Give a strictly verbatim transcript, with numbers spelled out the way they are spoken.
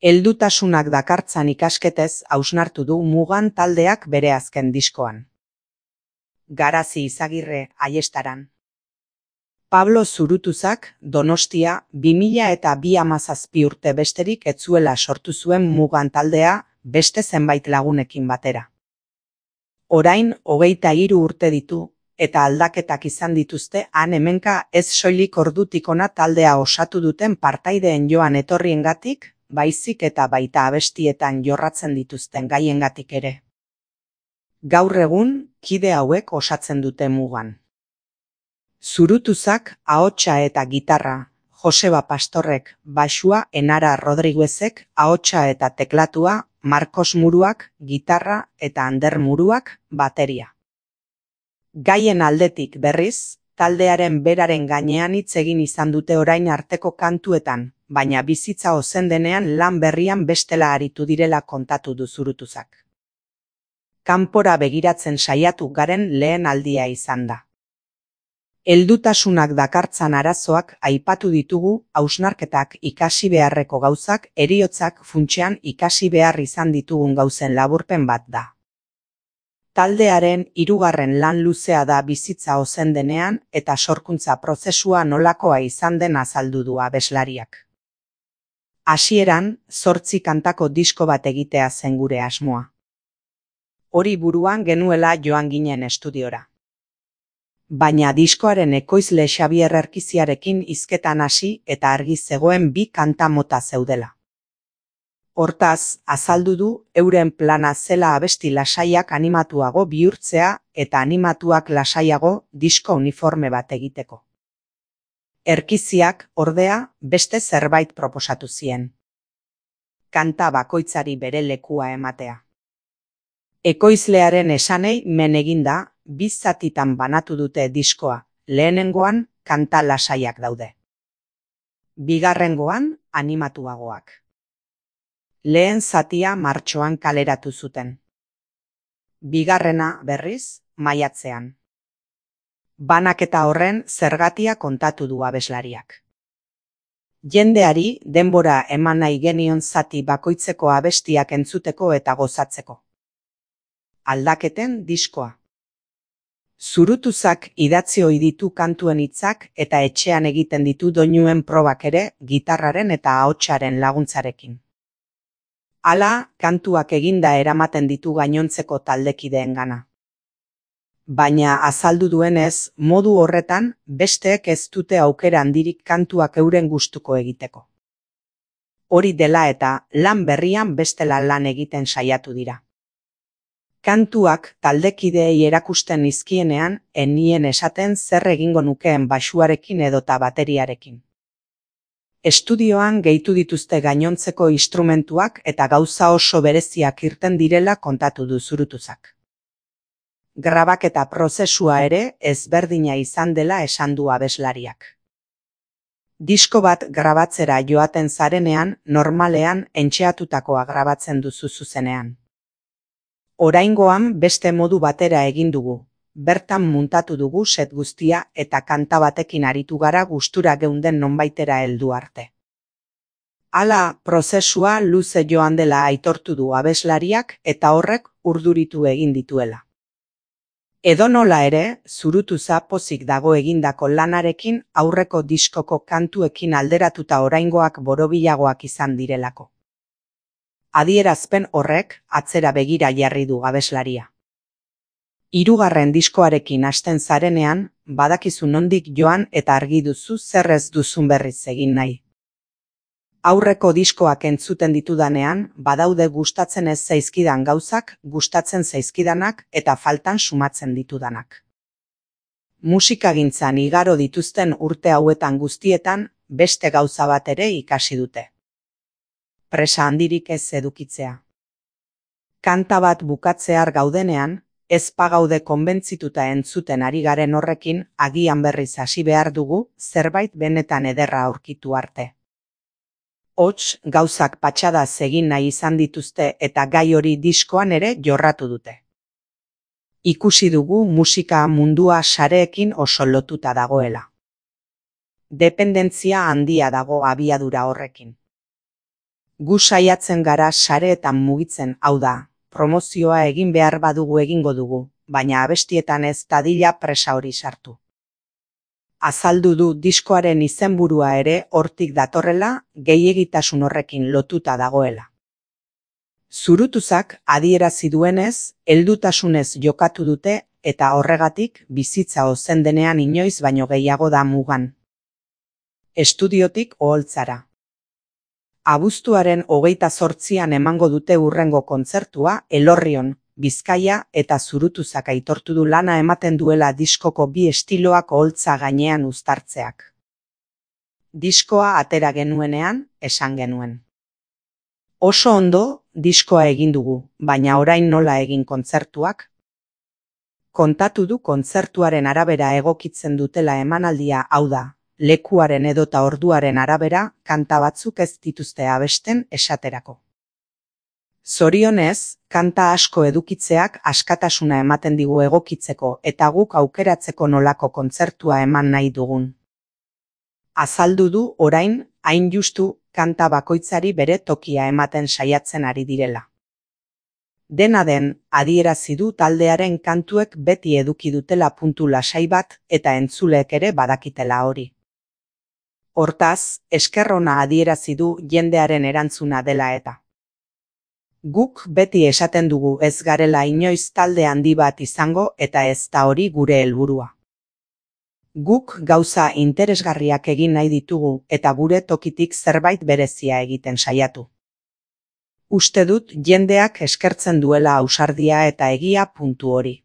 Heldutasunak dakartzan ikasketez hausnartu du Mugan taldeak bere azken diskoan. Garazi Izagirre, Aiestaran. Pablo Zurutuzak, Donostia, bi mila eta bi hamazazpi urte besterik ez zuela sortu zuen Mugan taldea, beste zenbait lagunekin batera. Orain, hogeita hiru urte ditu, eta aldaketak izan dituzte han hemenka ez soilik ordutik hona taldea osatu duten partaideen joan etorriengatik, baizik eta baita abestietan jorratzen dituzten gaiengatik ere. Gaur egun, kide hauek osatzen dute Mugan. Zurutuzak ahotsa eta gitarra, Joseba Pastorrek baxua, Enara Rodriguezek ahotsa eta teklatua, Marcos Muruak gitarra eta Ander Muruak bateria. Gaien aldetik berriz, taldearen beraren gainean hitz egin izan dute orain arteko kantuetan, baina bizitza ozen denean lan berrian bestela aritu direla kontatu du Zurutuzak. Kanpora begiratzen saiatu garen lehen aldia izan da. Heldutasunak dakartzan arazoak aipatu ditugu, hausnarketak ikasi beharreko gauzak, heriotzak funtsean ikasi behar izan ditugun gauzen laburpen bat da. Taldearen hirugarren lan luzea da bizitza ozen denean eta sorkuntza prozesua nolakoa izan den azaldu du abeslariak. Hasieran, zortzi kantako disko bat egitea zen gure asmoa. Hori buruan genuela joan ginen estudiora. Baina diskoaren ekoizle Xabier Erkiziarekin hizketan hasi eta argi zegoen bi kanta mota zeudela. Hortaz, azaldu du euren plana zela abesti lasaiak animatuago bihurtzea eta animatuak lasaiago disko uniforme bat egiteko. Erkiziak, ordea, beste zerbait proposatu zien. Kanta bakoitzari bere lekua ematea. Ekoizlearen esanei men eginda, bi zatitan banatu dute diskoa, lehenengoan kanta lasaiak daude. Bigarrengoan animatuagoak. Lehen zatia martxoan kaleratu zuten. Bigarrena, berriz, maiatzean. Banaketa horren zergatia kontatu du abeslariak. Jendeari denbora eman nahi genion zati bakoitzeko abestiak entzuteko eta gozatzeko. Aldaketen diskoa. Zurutuzak idatzi ohi ditu kantuen hitzak eta etxean egiten ditu doinuen probak ere gitarraren eta ahotsaren laguntzarekin. Hala, kantuak eginda eramaten ditu gainontzeko taldekideengana. Baina azaldu duenez, modu horretan, besteek ez dute aukera handirik kantuak euren gustuko egiteko. Hori dela eta lan berrian bestela lan egiten saiatu dira. Kantuak taldekideei erakusten nizkienean, enien esaten zer egingo nukeen baxuarekin edota bateriarekin. Estudioan gehitu dituzte gainontzeko instrumentuak eta gauza oso bereziak irten direla kontatu du Zurutuzak. Grabaketa prozesua ere ezberdina izan dela esan du abeslariak. Disko bat grabatzera joaten zarenean, normalean entxeatutakoa grabatzen duzu zuzenean. Oraingoan beste modu batera egin dugu, bertan muntatu dugu set guztia eta kanta batekin aritu gara gustura geunden nonbaitera heldu arte. Hala, prozesua luze joan dela aitortu du abeslariak eta horrek urduritu egin dituela. Edonola ere, Zurutuza pozik dago egindako lanarekin aurreko diskoko kantuekin alderatuta oraingoak borobilagoak izan direlako. Adierazpen horrek atzera begira jarri du abeslaria. Hirugarren diskoarekin hasten zarenean, badakizu nondik joan eta argi duzu zer ez duzun berriz egin nahi. Aurreko diskoak entzuten ditudanean, badaude gustatzen ez zaizkidan gauzak, gustatzen zaizkidanak eta faltan sumatzen ditudanak. Musikagintzan igaro dituzten urte hauetan guztietan, beste gauza bat ere ikasi dute. Presa handirik ez edukitzea. Kanta bat bukatzear gaudenean, ez pagaude konbentzituta entzuten ari garen horrekin, agian berriz hasi behar dugu, zerbait benetan ederra aurkitu arte. Hots, gauzak patxadaz egin nahi izan dituzte eta gai hori diskoan ere jorratu dute. Ikusi dugu musika mundua sareekin oso lotuta dagoela. Dependentzia handia dago abiadura horrekin. Gu saiatzen gara sareetan mugitzen, hau da, promozioa egin behar badugu egingo dugu, baina abestietan ez dadila presa hori sartu. Azaldu du diskoaren izenburua ere hortik datorrela, gehiegitasun horrekin lotuta dagoela. Zurutuzak adierazi duenez, heldutasunez jokatu dute eta horregatik bizitza ozen denean inoiz baino gehiago da mugan. Estudiotik oholtzara. Abuztuaren hogeita zortzian emango dute hurrengo kontzertua Elorrion, Bizkaia eta Zurutuzak aitortu du lana ematen duela diskoko bi estiloak oholtza gainean uztartzeak. Diskoa atera genuenean, esan genuen. Oso ondo, diskoa egin dugu, baina orain nola egin kontzertuak? Kontatu du kontzertuaren arabera egokitzen dutela emanaldia, hau da, lekuaren edota orduaren arabera kanta batzuk ez dituzte abesten esaterako. Zorionez, kanta asko edukitzeak askatasuna ematen digu egokitzeko eta guk aukeratzeko nolako kontzertua eman nahi dugun. Azaldu du orain, hain justu, kanta bakoitzari bere tokia ematen saiatzen ari direla. Dena den, adierazi du taldearen kantuek beti eduki dutela puntu lasai bat eta entzuleek ere badakitela hori. Hortaz, esker ona adierazi du jendearen erantzuna dela eta. Guk beti esaten dugu ez garela inoiz talde handi bat izango eta ez da hori gure helburua. Guk gauza interesgarriak egin nahi ditugu eta gure tokitik zerbait berezia egiten saiatu. Uste dut jendeak eskertzen duela ausardia eta egia puntu hori.